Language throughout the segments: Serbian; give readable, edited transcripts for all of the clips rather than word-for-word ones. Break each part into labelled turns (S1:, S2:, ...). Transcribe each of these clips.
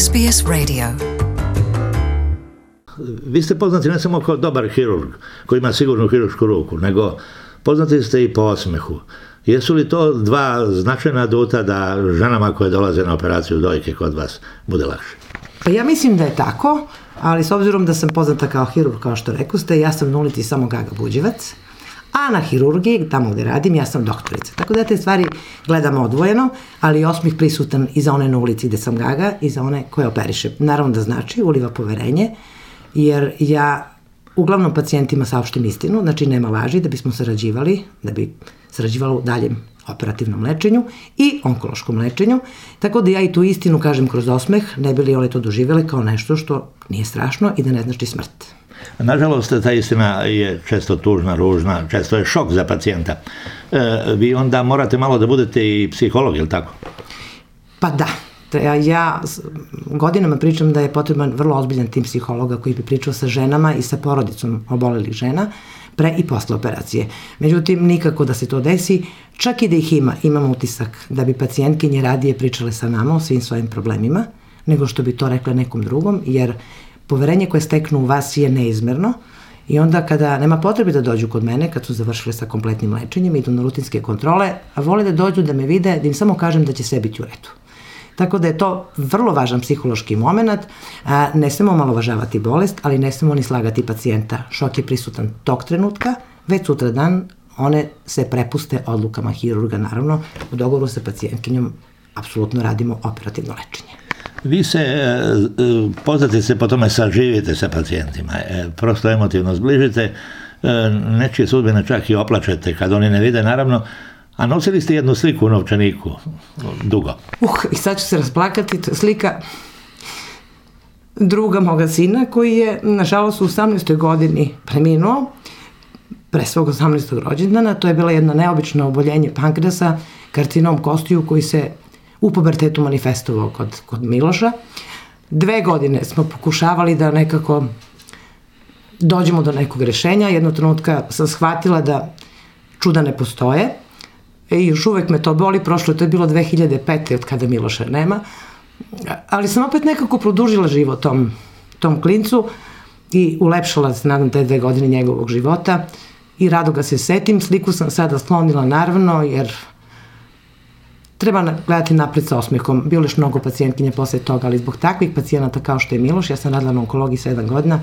S1: SBS Radio.
S2: Vi ste poznati ne samo kao dobar hirurg koji ima sigurnu hirušku ruku, nego poznati ste i po osmehu. Jesu li to dva značajna aduta da ženama koje dolaze na operaciju dojke kod vas bude lakše?
S3: Pa ja mislim da je tako, ali s obzirom da sam poznata kao hirurg, kao što rekoste, ja sam na ulici samo Gaga Buđevac, a na hirurgiji, tamo gde radim, ja sam doktorica. Tako da te stvari gledamo odvojeno, ali osmeh prisutan i za one na ulici gde sam Gaga i za one koje operiše. Naravno da znači, uliva poverenje, jer ja uglavnom pacijentima saopštim istinu, znači nema laži, da bismo sarađivali, da bi sarađivalo u daljem operativnom lečenju i onkološkom lečenju, tako da ja i tu istinu kažem kroz osmeh, ne bi li one to doživjele kao nešto što nije strašno i da ne znači smrt.
S2: Nažalost, ta istina je često tužna, ružna, često je šok za pacijenta. Vi onda morate malo da budete i psiholog, je li tako?
S3: Pa da. Ja godinama pričam da je potreban vrlo ozbiljan tim psihologa koji bi pričao sa ženama i sa porodicom obolelih žena pre i posle operacije. Međutim, nikako da se to desi, čak i da ih imam utisak da bi pacijentkinje radije pričale sa nama o svim svojim problemima, nego što bi to rekla nekom drugom, jer poverenje koje steknu u vas je neizmerno i onda kada nema potrebe da dođu kod mene, kad su završile sa kompletnim lečenjem, idu na rutinske kontrole, a vole da dođu da me vide, da im samo kažem da će sve biti u redu. Tako da je to vrlo važan psihološki moment, ne smemo omalovažavati bolest, ali ne smemo ni slagati pacijenta. Šok je prisutan tog trenutka, već sutradan one se prepuste odlukama hirurga, naravno, u dogovoru sa pacijentkinjom apsolutno radimo operativno lečenje.
S2: Vi se, poznate se po tome saživite sa pacijentima, prosto emotivno zbližite, nečije sudbine čak i oplačete kad oni ne vide, naravno, a nosili ste jednu sliku u novčaniku, dugo.
S3: I sad ću se rasplakati, to je slika druga moga sina koji je, nažalost, u 18. godini preminuo, pre svog 18. rođendana. To je bila jedna neobično oboljenje pankreasa, karcinom kostiju koji se u pubertetu manifestovao kod Miloša. 2 godine smo pokušavali da nekako dođemo do nekog rešenja. Jednog trenutka sam shvatila da čuda ne postoje i još uvek me to boli. Prošlo, to je bilo 2005. od kada Miloša nema. Ali sam opet nekako produžila život tom klincu i ulepšala se, nadam, te 2 godine njegovog života i rado ga se setim. Sliku sam sada sklonila, naravno, jer treba gledati napred sa osmehom. Bilo još mnogo pacijentkinja posle toga, ali zbog takvih pacijenata kao što je Miloš, ja sam radila na onkologiji 7 godina,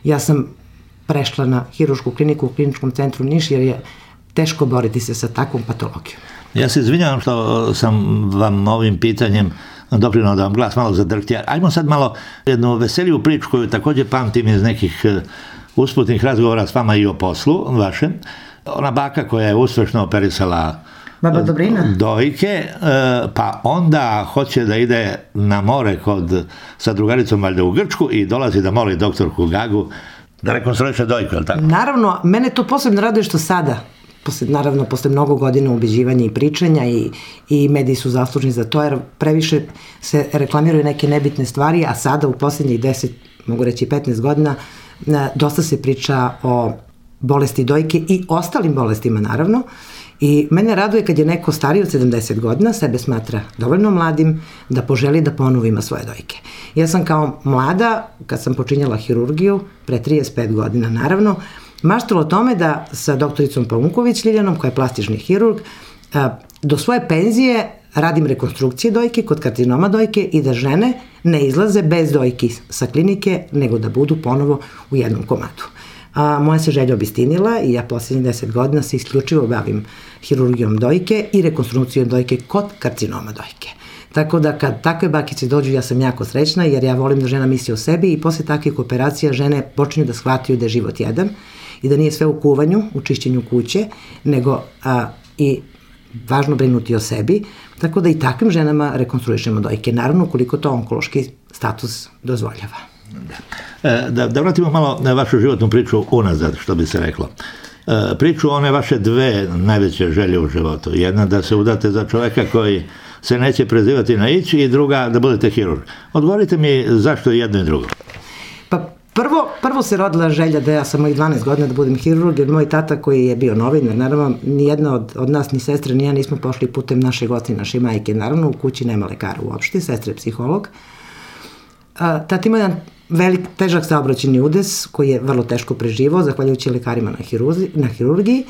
S3: ja sam prešla na hirušku kliniku u Kliničkom centru Niš, jer je teško boriti se sa takvom patologijom.
S2: Ja se izvinjavam što sam vam ovim pitanjem doprinao da vam glas malo zadrhti. Ajmo sad malo jednu veseliju priču koju također pamtim iz nekih usputnih razgovora s vama i o poslu vašem. Ona baka koja je uspešno operisala
S3: Baba Dobrina
S2: dojke, pa onda hoće da ide na more sa drugaricom valjda u Grčku i dolazi da moli doktorku Gagu da rekonstruiše dojku, je li tako?
S3: Naravno, mene to posebno raduje što sada, posle mnogo godina ubeđivanja i pričanja i mediji su zaslužni za to, jer previše se reklamiraju neke nebitne stvari, a sada u posljednjih 10, mogu reći 15 godina, dosta se priča o bolesti dojke i ostalim bolestima, naravno. I mene raduje kad je neko stariji od 70 godina, sebe smatra dovoljno mladim da poželi da ponovo ima svoje dojke. Ja sam kao mlada, kad sam počinjala hirurgiju, pre 35 godina naravno, maštala o tome da sa doktoricom Paunković Ljiljanom, koja je plastični hirurg, do svoje penzije radim rekonstrukcije dojke kod karcinoma dojke i da žene ne izlaze bez dojki sa klinike, nego da budu ponovo u jednom komadu. Moja se želja obistinila i ja posljednjih 10 godina se isključivo bavim hirurgijom dojke i rekonstrukcijom dojke kod karcinoma dojke. Tako da kad takve bakice dođu, ja sam jako srećna, jer ja volim da žena misli o sebi i posle takvih operacija žene počinju da shvataju da je život jedan i da nije sve u kuvanju, u čišćenju kuće, nego i važno brinuti o sebi, tako da i takvim ženama rekonstruišemo dojke. Naravno, koliko to onkološki status dozvoljava.
S2: Da vratimo malo na vašu životnu priču unazad, što bi se reklo. Priču one vaše 2 najveće želje u životu. Jedna da se udate za čoveka koji se neće prezivati na ići i druga da budete hirurg. Odgovorite mi zašto je jedno i drugo.
S3: Pa prvo se rodila želja da ja sam mojih 12 godina da budem hirurg, jer moj tata koji je bio novinar, naravno nijedna od nas, ni sestre, ni ja nismo pošli putem našeg oca i naše majke. Naravno u kući nema lekara uopšte, sestra je psiholog. tata ima jedan težak saobraćajni udes koji je vrlo teško preživao, zahvaljujući lekarima na hirurgiji.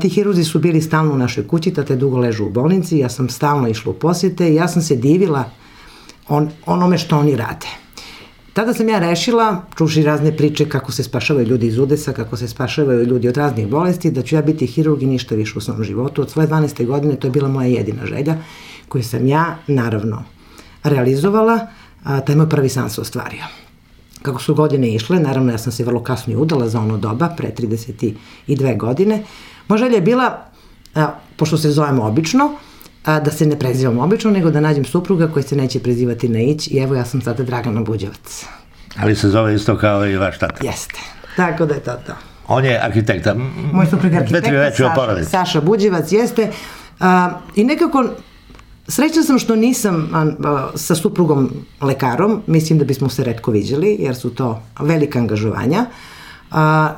S3: Ti hirurzi su bili stalno u našoj kući, tata je dugo ležao u bolnici, ja sam stalno išla u posjete i ja sam se divila onome što oni rade. Tada sam ja rešila, čuši razne priče kako se spašavaju ljudi iz udesa, kako se spašavaju ljudi od raznih bolesti, da ću ja biti hirurg i ništa više u svom životu. Od svoje 12. godine to je bila moja jedina želja, koju sam ja, naravno, realizovala, taj moj prvi san se ostvario. Kako su godine išle, naravno ja sam se vrlo kasno i udala za ono doba, pre 32 godine. Moja želja je bila, pošto se zovemo obično, da se ne prezivam obično, nego da nađem supruga koji se neće prezivati na Ić i evo ja sam sada Dragana Buđevac.
S2: Ali se zove isto kao i vaš tata.
S3: Jeste, tako da je to.
S2: On je arhitekta.
S3: Moj suprug je arhitekta, Saša Buđevac, jeste. I nekako, srećna sam što nisam sa suprugom lekarom, mislim da bismo se retko viđali, jer su to velika angažovanja.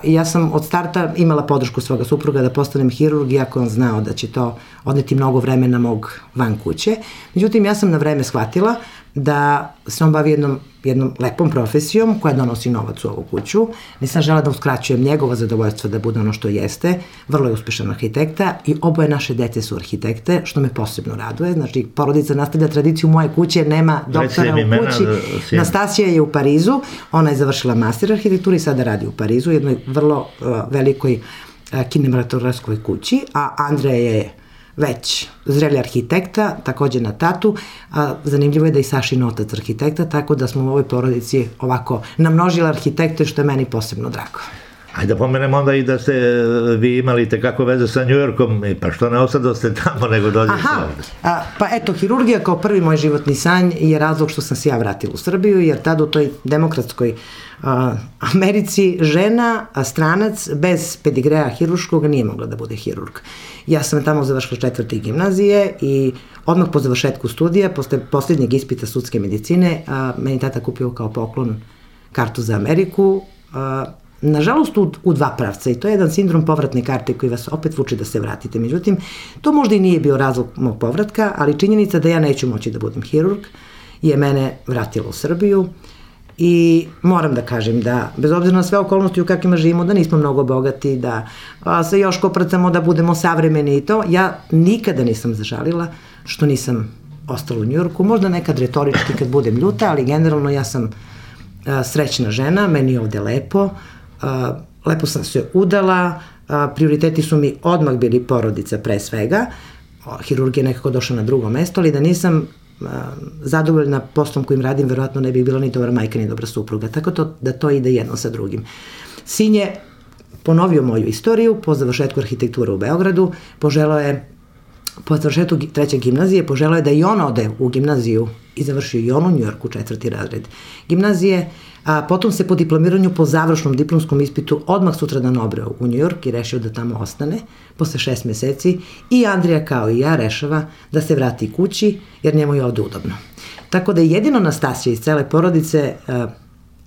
S3: Ja sam od starta imala podršku svoga supruga da postanem hirurg, iako on znao da će to odneti mnogo vremena mog van kuće. Međutim, ja sam na vreme shvatila da se on bavi jednom lepom profesijom koja donosi novac u ovu kuću. Nisam žela da uskraćujem njegovo zadovoljstvo da bude ono što jeste. Vrlo je uspešan arhitekta i oboje naše dete su arhitekte, što me posebno raduje. Znači, porodica nastavlja tradiciju moje kuće, nema doktora u kući. Nastasija je u Parizu, ona je završila master arhitekturi i sada radi u Parizu, jednoj vrlo velikoj kinematografskoj kući, a Andreja je već zreli arhitekta, takođe na tatu, a zanimljivo je da i Sašin otac arhitekta, tako da smo u ovoj porodici ovako namnožili arhitekte, što je meni posebno drago.
S2: Ajde da pomenemo onda i da ste vi imali tekako veze sa Njujorkom, pa što ne ostadoste tamo nego dođete ovde?
S3: Pa eto, hirurgija kao prvi moj životni sanj je razlog što sam se ja vratila u Srbiju, jer tada u toj demokratskoj Americi žena, stranac, bez pedigreja hirurškog nije mogla da bude hirurg. Ja sam tamo završila 4. gimnazije i odmah po završetku studija, posle posljednjeg ispita sudske medicine, meni tata kupio kao poklon kartu za Ameriku, nažalost u dva pravca, i to je jedan sindrom povratne karte koji vas opet vuče da se vratite. Međutim, to možda i nije bio razlog mog povratka, ali činjenica da ja neću moći da budem hirurg je mene vratila u Srbiju i moram da kažem da, bez obzira na sve okolnosti u kakvima živimo, da nismo mnogo bogati, da se još koprcamo, da budemo savremeni i to, ja nikada nisam zažalila što nisam ostala u Njujorku, možda nekad retorički kad budem ljuta, ali generalno ja sam srećna žena, meni je ovde lepo, lepo sam se udala, prioriteti su mi odmah bili porodica pre svega, hirurgija je nekako došla na drugo mesto, ali da nisam zadovoljna poslom kojim radim, verovatno ne bih bila ni dobra majka, ni dobra supruga, tako da to ide jedno sa drugim. Sin je ponovio moju istoriju po završetku arhitekture u Beogradu, poželao je po završetku 3. gimnazije, poželao je da i on ode u gimnaziju i završio i on u Njujorku 4. razred gimnazije, a potom se po diplomiranju po završnom diplomskom ispitu odmah sutradan obreo u Njujork i rešio da tamo ostane posle 6 meseci i Andrija kao i ja rešava da se vrati kući jer njemu je ovde udobno. Tako da je jedino Nastasija iz cele porodice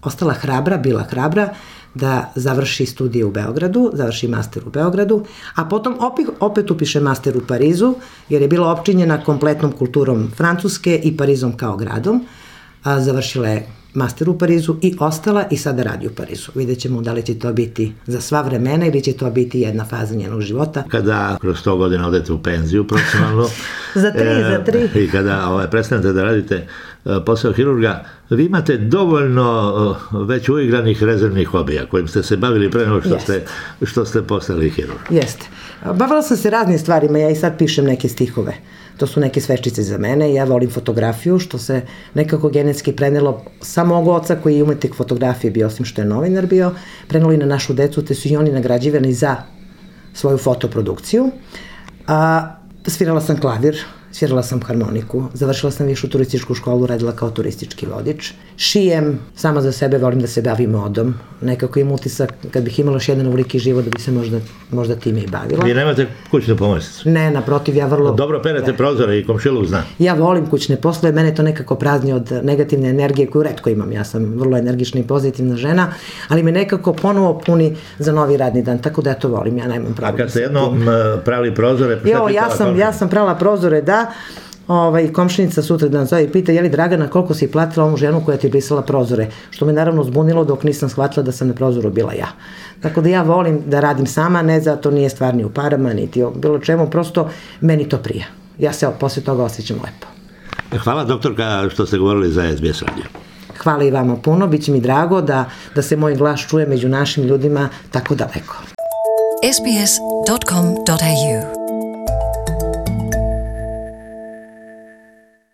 S3: ostala hrabra, bila hrabra da završi studije u Beogradu, završi master u Beogradu, a potom opet upiše master u Parizu, jer je bila opčinjena kompletnom kulturom Francuske i Parizom kao gradom. Završila je master u Parizu i ostala i sada radi u Parizu. Vidjet ćemo da li će to biti za sva vremena ili će to biti jedna faza njenog života.
S2: Kada kroz 100 godina odete u penziju profesionalno
S3: za tri.
S2: I kada prestanete da radite posao hirurga, vi imate dovoljno već uigranih rezervnih hobija kojim ste se bavili pre nego što ste postali hirurg.
S3: Jeste. Bavila sam se raznim stvarima, ja i sad pišem neke stihove. To su neke sveččice za mene, ja volim fotografiju, što se nekako genetski prenelo sa mog oca koji je umetnik fotografije bio, osim što je novinar bio, prenelo i na našu decu, te su i oni nagrađivani za svoju fotoprodukciju. Svirala sam klavir, svirala sam harmoniku, završila sam višu turističku školu, radila kao turistički vodič. Šijem, sama za sebe volim da se bavim modom. Nekako imam utisak, kad bih imala još jedan ovoliki život, da bi se možda time i bavila.
S2: Vi nemate kućnu pomoćnicu?
S3: Ne, naprotiv, ja vrlo...
S2: Dobro perete prozore i komšiluk zna.
S3: Ja volim kućne poslove, mene to nekako prazni od negativne energije koju retko imam. Ja sam vrlo energična i pozitivna žena, ali me nekako ponovo puni za novi radni dan, tako da ja to volim, ja nemam pravo.
S2: A kad ste jednom prali prozore...
S3: Ja sam prala prozore, da. komšinica sutra dan zove i pita, je li Dragana, koliko si platila ovu ženu koja ti je brisala prozore, što me naravno zbunilo dok nisam shvatila da sam na prozoru bila ja. Tako da ja volim da radim sama, ne zato nije stvar ni u parama, niti o bilo čemu, prosto meni to prija. Ja se posle toga osjećam lepo.
S2: Hvala doktorka što ste govorili za SBS radio.
S3: Hvala i vama puno, bit će mi drago da se moj glas čuje među našim ljudima tako daleko.
S1: sbs.com.au